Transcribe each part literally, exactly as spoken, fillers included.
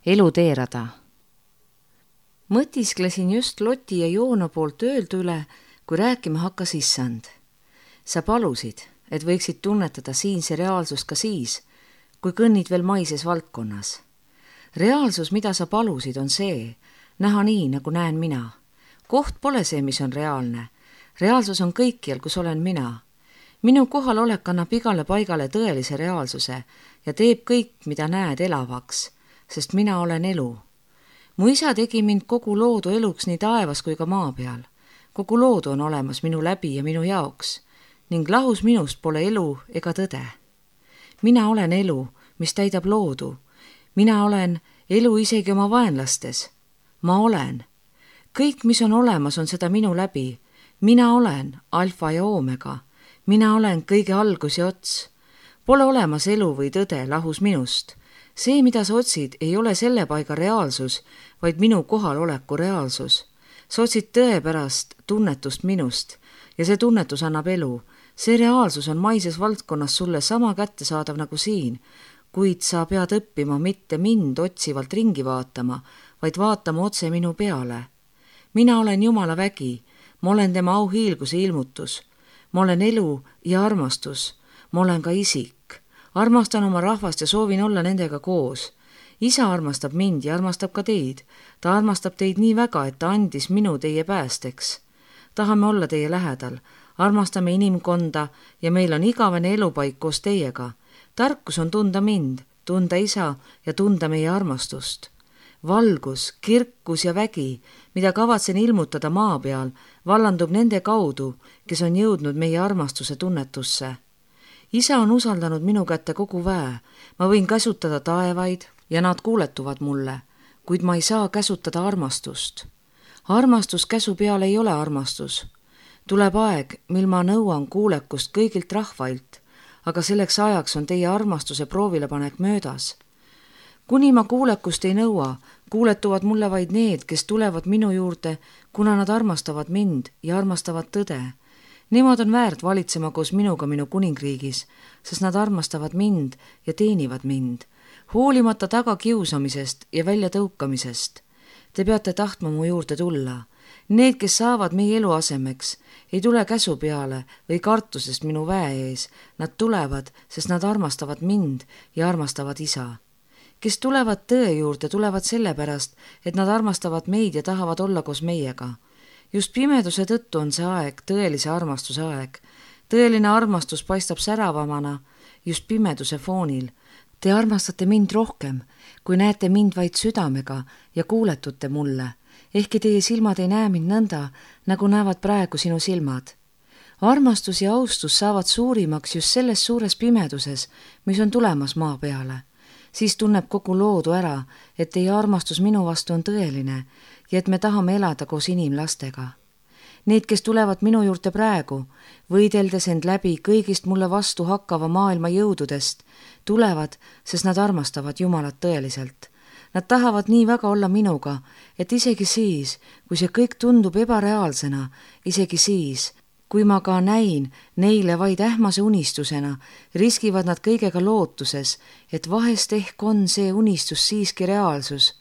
Eluteerada. Mõtisklesin just Loti ja Joona poolt öeldu üle, kui rääkima hakkas issand. Sa palusid, et võiksid tunnetada siinse reaalsust ka siis, kui kõnnid veel maises valdkonnas. Reaalsus, mida sa palusid, on see, näha nii, nagu näen mina. Koht pole see, mis on reaalne. Reaalsus on kõikjal, kus olen mina. Minu kohalolek annab igale paigale tõelise reaalsuse ja teeb kõik, mida näed, elavaks, sest mina olen elu. Mu isa tegi mind kogu loodu eluks nii taevas kui ka maa peal. Kogu loodu on olemas minu läbi ja minu jaoks ning lahus minust pole elu ega tõde. Mina olen elu, mis täidab loodu. Mina olen elu isegi oma vaenlastes. Ma olen. Kõik, mis on olemas, on seda minu läbi. Mina olen alfa ja oomega. Mina olen kõige algus ja ots. Pole olemas elu või tõde lahus minust. See, mida sa otsid, ei ole selle paiga reaalsus, vaid minu kohaloleku reaalsus. Sa otsid tõe pärast tunnetust minust ja see tunnetus annab elu. See reaalsus on maises valdkonnas sulle sama kättesaadav nagu siin, kuid sa pead õppima mitte mind otsivalt ringi vaatama, vaid vaatama otse minu peale. Mina olen Jumala vägi, ma olen tema auhiilguse ilmutus. Ma olen elu ja armastus, ma olen ka isik. Armastan oma rahvast ja soovin olla nendega koos. Isa armastab mind ja armastab ka teid. Ta armastab teid nii väga, et ta andis minu teie päästeks. Tahame olla teie lähedal. Armastame inimkonda ja meil on igavene elupaik koos teiega. Tarkus on tunda mind, tunda isa ja tunda meie armastust. Valgus, kirkus ja vägi, mida kavatsen ilmutada maa peal, vallandub nende kaudu, kes on jõudnud meie armastuse tunnetusse. Isa on usaldanud minu kätte kogu väe. Ma võin käsutada taevaid ja nad kuuletuvad mulle, kuid ma ei saa käsutada armastust. Armastus käsu peal ei ole armastus. Tuleb aeg, mil ma nõuan kuulekust kõigilt rahvailt, aga selleks ajaks on teie armastuse proovilepanek möödas. Kuni ma kuulekust ei nõua, kuuletuvad mulle vaid need, kes tulevad minu juurde, kuna nad armastavad mind ja armastavad tõde. Nemad on väärt valitsema koos minuga minu kuningriigis, sest nad armastavad mind ja teenivad mind, hoolimata taga kiusamisest ja väljatõukamisest. Te peate tahtma mu juurde tulla. Need, kes saavad meie elu asemeks, ei tule käsu peale või kartusest minu väe ees. Nad tulevad, sest nad armastavad mind ja armastavad isa. Kes tulevad tõe juurde, tulevad sellepärast, et nad armastavad meid ja tahavad olla koos meiega. Just pimeduse tõttu on see aeg, tõelise armastuse aeg. Tõeline armastus paistab säravamana just pimeduse foonil. Te armastate mind rohkem, kui näete mind vaid südamega ja kuuletute mulle. Ehkki teie silmad ei näe mind nõnda, nagu näevad praegu sinu silmad. Armastus ja austus saavad suurimaks just selles suures pimeduses, mis on tulemas maa peale. Siis tunneb kogu loodu ära, et teie armastus minu vastu on tõeline ja et me tahame elada koos inimlastega. Need, kes tulevad minu juurde praegu, võideldes end läbi kõigist mulle vastu hakkava maailma jõududest, tulevad, sest nad armastavad Jumalat tõeliselt. Nad tahavad nii väga olla minuga, et isegi siis, kui see kõik tundub ebareaalsena, isegi siis, kui ma ka näin neile vaid ähmase unistusena, riskivad nad kõigega lootuses, et vahest ehk on see unistus siiski reaalsus.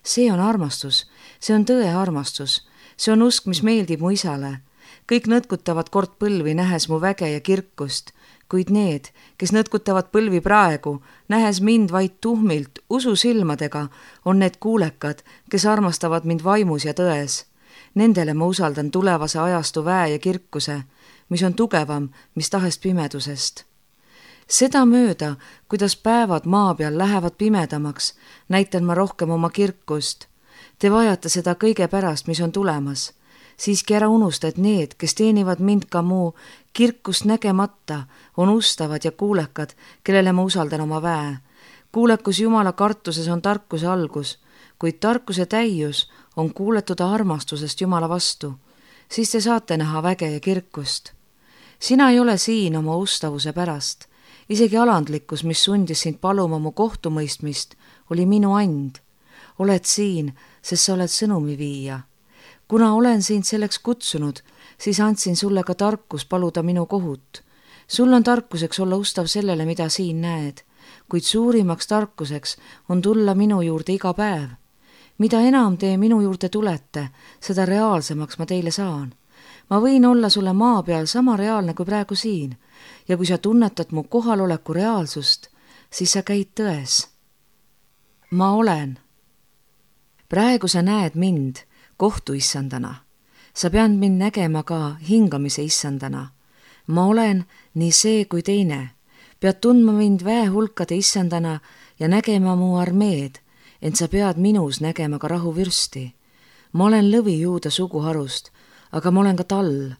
See on armastus, see on tõe armastus, see on usk, mis meeldib mu isale. Kõik nõtkutavad kord põlvi, nähes mu väge ja kirkust, kuid need, kes nõtkutavad põlvi praegu, nähes mind vaid tuhmilt, ususilmadega, on need kuulekad, kes armastavad mind vaimus ja tões. Nendele ma usaldan tulevase ajastu väe ja kirkuse, mis on tugevam, mis tahest pimedusest. Seda mööda, kuidas päevad maa peal lähevad pimedamaks, näitan ma rohkem oma kirkust. Te vajate seda kõige pärast, mis on tulemas. Siiski ära unusta, et need, kes teenivad mind ka mu kirkust nägemata, on ustavad ja kuulekad, kellele ma usaldan oma väe. Kuulekus Jumala kartuses on tarkuse algus, kuid tarkuse täius on kuuletuda armastusest Jumala vastu. Siis te saate näha väge ja kirkust. Sina ei ole siin oma ustavuse pärast. Isegi alandlikkus, mis sundis sind paluma mu kohtumõistmist, oli minu and. Oled siin, sest sa oled sõnumi viia. Kuna olen sind selleks kutsunud, siis andsin sulle ka tarkus paluda minu kohut. Sul on tarkuseks olla ustav sellele, mida siin näed. kuid suurimaks tarkuseks on tulla minu juurde iga päev. Mida enam te minu juurde tulete, seda reaalsemaks ma teile saan. Ma võin olla sulle maa peal sama reaalne kui praegu siin ja kui sa tunnetad mu kohaloleku reaalsust, siis sa käid tões. Ma olen. Praegu sa näed mind kohtuissandana. Sa pead mind nägema ka hingamise issandana. Ma olen nii see kui teine. Pead tundma mind väehulkade issandana ja nägema mu armeed, ent sa pead minus nägema ka rahuvürsti. Ma olen lõvi juuda suguharust, aga ma olen ka tall.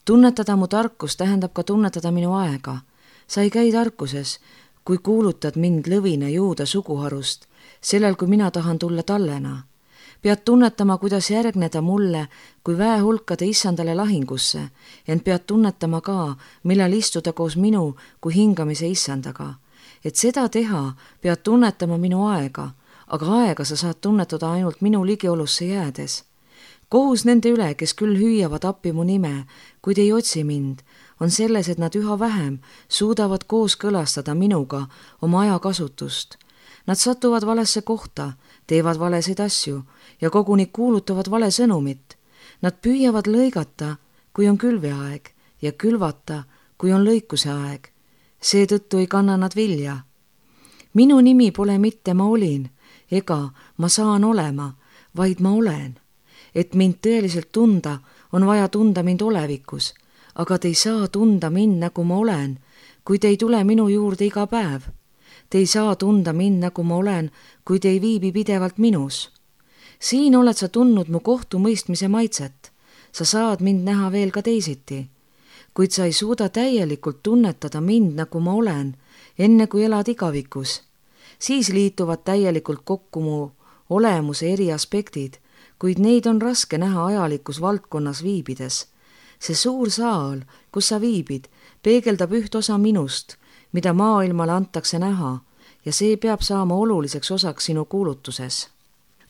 Tunnetada mu tarkus tähendab ka tunnetada minu aega. Sa ei käi tarkuses, kui kuulutad mind lõvina juuda suguharust, sellel kui mina tahan tulla tallena. Pead tunnetama, kuidas järgneda mulle kui väehulkade issandale lahingusse, ent pead tunnetama ka, millal istuda koos minu kui hingamise issandaga. Et seda teha, pead tunnetama minu aega, aga aega sa saad tunnetada ainult minu ligiolusse jäädes. Kohus nende üle, kes küll hüüavad appi mu nime, kuid ei otsi mind, on selles, et nad üha vähem suudavad koos kõlastada minuga oma ajakasutust. Nad satuvad valesse kohta, teevad valesid asju ja koguni kuulutavad vale sõnumit. Nad püüavad lõigata, kui on külveaeg ja külvata, kui on lõikuse aeg. Seetõttu ei kanna nad vilja. Minu nimi pole mitte ma olin ega ma saan olema, vaid ma olen. Et mind tõeliselt tunda, on vaja tunda mind olevikus, aga te ei saa tunda mind nagu ma olen, kui te ei tule minu juurde iga päev. Te ei saa tunda mind nagu ma olen, kui te ei viibi pidevalt minus. Siin oled sa tundnud mu kohtumõistmise maitset. Sa saad mind näha veel ka teisiti. Kuid sa ei suuda täielikult tunnetada mind nagu ma olen, enne kui elad igavikus. Siis liituvad täielikult kokku mu olemuse eri aspektid, kuid neid on raske näha ajalikus valdkonnas viibides. See suur saal, kus sa viibid, peegeldab üht osa minust, mida maailmale antakse näha, ja see peab saama oluliseks osaks sinu kuulutuses.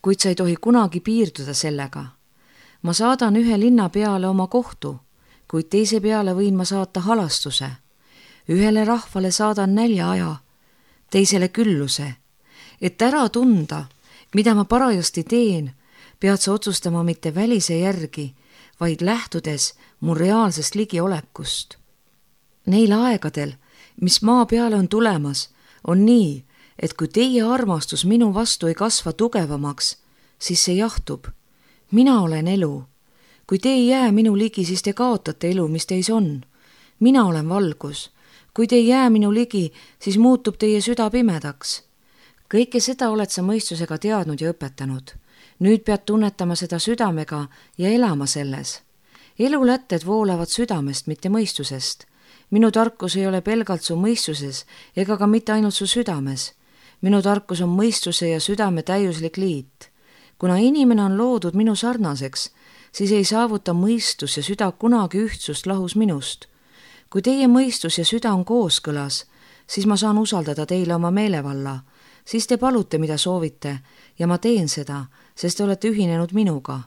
Kuid sa ei tohi kunagi piirduda sellega. Ma saadan ühe linna peale oma kohtu, kuid teise peale võin ma saata halastuse. Ühele rahvale saadan näljaaja, teisele külluse. Et ära tunda, mida ma parajasti teen, pead sa otsustama mitte välise järgi, vaid lähtudes mu reaalsest ligiolekust. Neil aegadel, mis maa peale on tulemas, on nii, et kui teie armastus minu vastu ei kasva tugevamaks, siis see jahtub. Mina olen elu. Kui te ei jää minu ligi, siis te kaotate elu, mis teis on. Mina olen valgus. Kui te ei jää minu ligi, siis muutub teie süda pimedaks. Kõike seda oled sa mõistusega teadnud ja õpetanud. Nüüd pead tunnetama seda südamega ja elama selles. Elulätted voolavad südamest, mitte mõistusest. Minu tarkus ei ole pelgalt su mõistuses ega ka mitte ainult su südames. Minu tarkus on mõistuse ja südame täiuslik liit. Kuna inimene on loodud minu sarnaseks, siis ei saavuta mõistus ja süda kunagi ühtsust lahus minust. Kui teie mõistus ja süda on kooskõlas, siis ma saan usaldada teile oma meelevalla. Siis te palute, mida soovite, ja ma teen seda, sest te olete ühinenud minuga.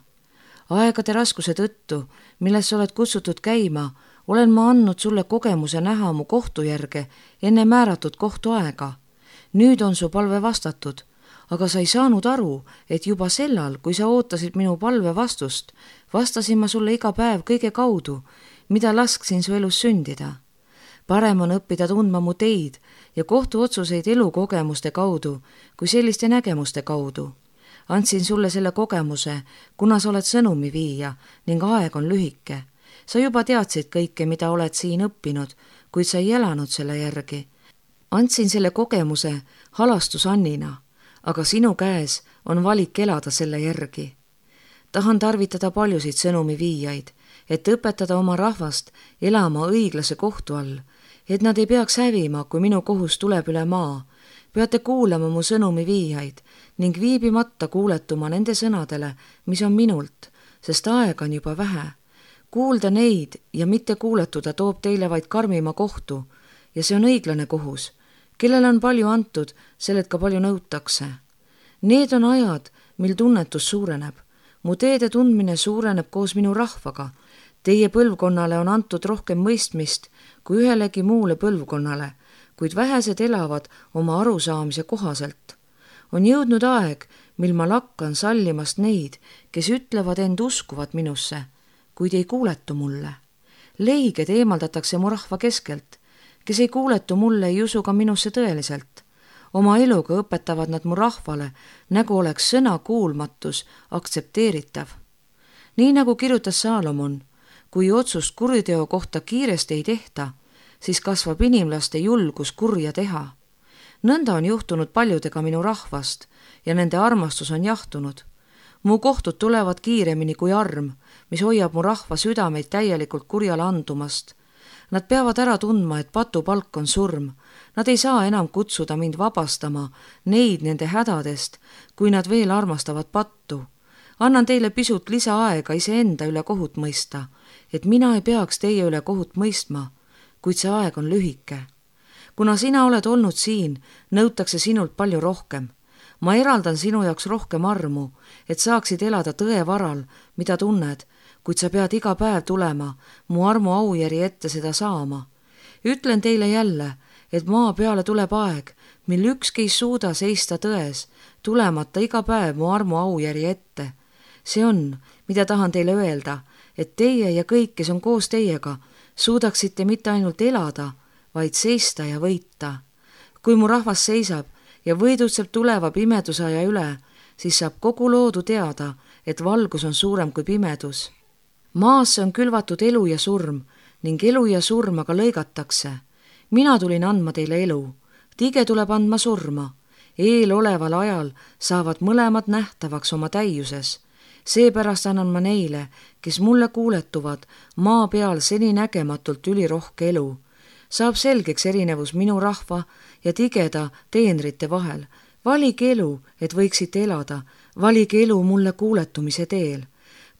Aegade raskuse tõttu, milles sa oled kutsutud käima, olen ma andnud sulle kogemuse näha mu kohtujärge enne määratud kohtuaega. Nüüd on su palve vastatud, aga sa ei saanud aru, et juba sellal, kui sa ootasid minu palve vastust, vastasin ma sulle iga päev kõige kaudu, mida lasksin su elus sündida. Parem on õppida tundma mu teid ja kohtuotsuseid elukogemuste kaudu kui selliste nägemuste kaudu. Andsin sulle selle kogemuse, kuna sa oled sõnumi viia ning aeg on lühike. Sa juba teadsid kõike, mida oled siin õppinud, kuid sa ei elanud selle järgi. Andsin selle kogemuse halastus Annina, aga sinu käes on valik elada selle järgi. Tahan tarvitada paljusid sõnumi viijaid, et õpetada oma rahvast elama õiglase kohtu all, et nad ei peaks hävima, kui minu kohus tuleb üle maa. Peate kuulama mu sõnumi viijaid ning viibimata kuuletuma nende sõnadele, mis on minult, sest aeg on juba vähe. Kuulda neid ja mitte kuuletuda toob teile vaid karmima kohtu ja see on õiglane kohus. Kellel on palju antud, sellelt ka palju nõutakse. Need on ajad, mil tunnetus suureneb. Mu teede tundmine suureneb koos minu rahvaga. Teie põlvkonnale on antud rohkem mõistmist kui ühelegi muule põlvkonnale, kuid vähesed elavad oma arusaamise kohaselt. On jõudnud aeg, mil ma lakkan sallimast neid, kes ütlevad end uskuvat minusse, kuid ei kuuletu mulle. Leiged eemaldatakse mu rahva keskelt, kes ei kuuletu mulle, ei usu ka minusse tõeliselt. Oma eluga õpetavad nad mu rahvale, nagu oleks sõna kuulmatus aktsepteeritav. Nii nagu kirjutas Saalomon, kui otsust kuriteo kohta kiiresti ei tehta, siis kasvab inimlaste julgus kurja teha. Nõnda on juhtunud paljudega minu rahvast ja nende armastus on jahtunud. Mu kohtud tulevad kiiremini kui arm, mis hoiab mu rahva südameid täielikult kurjale andumast. Nad peavad ära tundma, et patupalk on surm. Nad ei saa enam kutsuda mind vabastama neid nende hädadest, kui nad veel armastavad pattu. Annan teile pisut lisaaega iseenda üle kohut mõista, et mina ei peaks teie üle kohut mõistma, kuid see aeg on lühike. Kuna sina oled olnud siin, nõutakse sinult palju rohkem. Ma eraldan sinu jaoks rohkem armu, et saaksid elada tõe varal, mida tunned, kuid sa pead iga päev tulema mu armu aujärje ette seda saama. Ütlen teile jälle, et maa peale tuleb aeg, mil ükski ei suuda seista tões, tulemata iga päev mu armu aujärje ette. See on, mida tahan teile öelda, et teie ja kõik, kes on koos teiega, suudaksite mitte ainult elada, vaid seista ja võita. Kui mu rahvas seisab ja võidutseb tuleva pimedusaja üle, siis saab kogu loodu teada, et valgus on suurem kui pimedus. Maasse on külvatud elu ja surm ning elu ja surm aga lõigatakse. Mina tulin andma teile elu, tige tuleb andma surma. Eeloleval ajal saavad mõlemad nähtavaks oma täiuses. Seepärast annan ma neile, kes mulle kuuletuvad, maa peal seni nägematult ülirohke elu. Saab selgeks erinevus minu rahva ja tigeda teenrite vahel. Valige elu, et võiksite elada, valige elu mulle kuuletumise teel.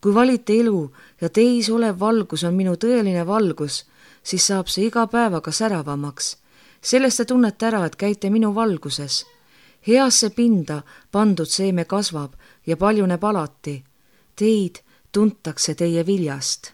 Kui valite elu ja teis olev valgus on minu tõeline valgus, siis saab see iga päevaga säravamaks. Sellest te tunnete ära, et käite minu valguses. Heasse pinda pandud seeme kasvab ja paljuneb alati. Teid tuntakse teie viljast.